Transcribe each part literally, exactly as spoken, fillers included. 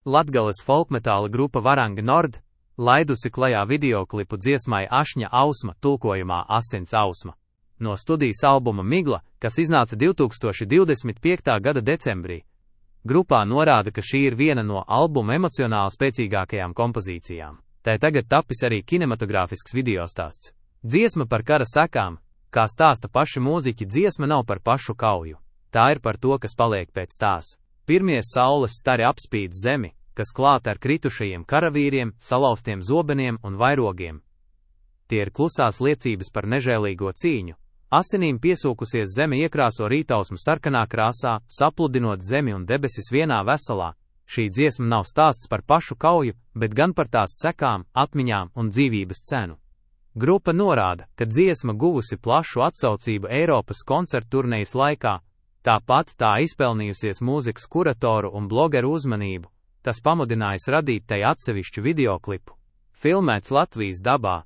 Latgales folkmetāla grupa Varanga Nord laidusi klajā videoklipu dziesmai Ašņa ausma, tulkojumā Asins ausma, no studijas albuma Migla, kas iznāca divtūkstoši divdesmit piektā gada decembrī. Grupā norāda, ka šī ir viena no albuma emocionāli spēcīgākajām kompozīcijām. Tai tagad tapis arī kinematogrāfisks videostāsts. Dziesma par kara sekām, kā stāsta paši mūziķi, dziesma nav par pašu kauju. Tā ir par to, kas paliek pēc tās. Pirmie saules stari apspīd zemi, kas klāta ar kritušajiem karavīriem, salauztiem zobeniem un vairogiem. Tie ir klusās liecības par nežēlīgo cīņu. Asinīm piesūkusies zeme iekrāso rītausmu sarkanā krāsā, sapludinot zemi un debesis vienā veselā. Šī dziesma nav stāsts par pašu kauju, bet gan par tās sekām, atmiņām un dzīvības cenu. Grupa norāda, ka dziesma guvusi plašu atsaucību Eiropas koncertu turnejas laikā, tāpat tā izpelnījusies mūzikas kuratoru un blogeru uzmanību, tas pamudinājis radīt tai atsevišķu videoklipu. Filmēts Latvijas dabā.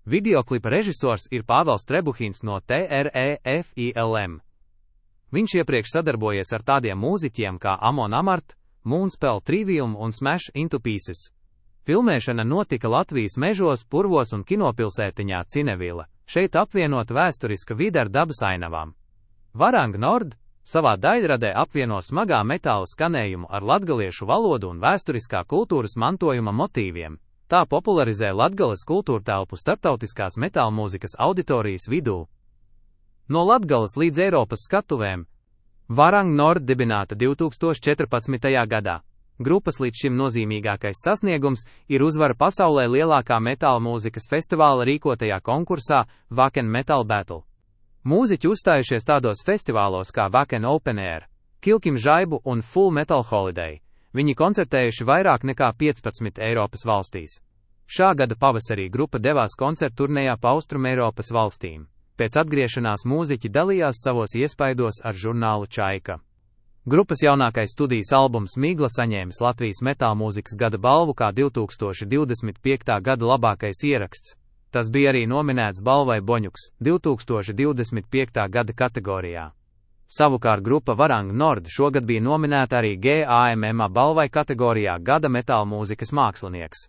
Videoklipa režisors ir Pāvels Trebuhins no T R E F I L M. Viņš iepriekš sadarbojies ar tādiem mūziķiem kā Amon Amart, Moonspell Trivium un Smash Into Pieces. Filmēšana notika Latvijas mežos, purvos un kinopilsētiņā Cinevila, šeit apvienot vēsturiska vide ar dabas ainavām. Varanga Nord savā daļradē apvieno smagā metāla skanējumu ar latgaliešu valodu un vēsturiskā kultūras mantojuma motīviem. Tā popularizē Latgales kultūrtelpu starptautiskās metālmūzikas auditorijas vidū. No Latgales līdz Eiropas skatuvēm Varanga Nord dibināta divtūkstoši četrpadsmitajā gadā. Grupas līdz šim nozīmīgākais sasniegums ir uzvara pasaulē lielākā metālmūzikas festivāla rīkotajā konkursā Wacken Metal Battle. Mūziķi uzstājušies tādos festivālos kā Wacken Open Air, Kilkim Žaibu un Full Metal Holiday. Viņi koncertējuši vairāk nekā piecpadsmit Eiropas valstīs. Šā gada pavasarī grupa devās koncertu turnejā pa Austrumeiropas valstīm. Pēc atgriešanās mūziķi dalījās savos iespaidos ar žurnālu Čaika. Grupas jaunākais studijas albums Migla saņēmis Latvijas metālmūzikas gada balvu kā divtūkstoši divdesmit piektā gada labākais ieraksts. Tas bija arī nominēts balvai Boņuks divtūkstoši divdesmit piektā gada kategorijā. Savukārt grupa Varanga Nord šogad bija nominēta arī G A M M A balvai kategorijā Gada metālmūzikas mākslinieks.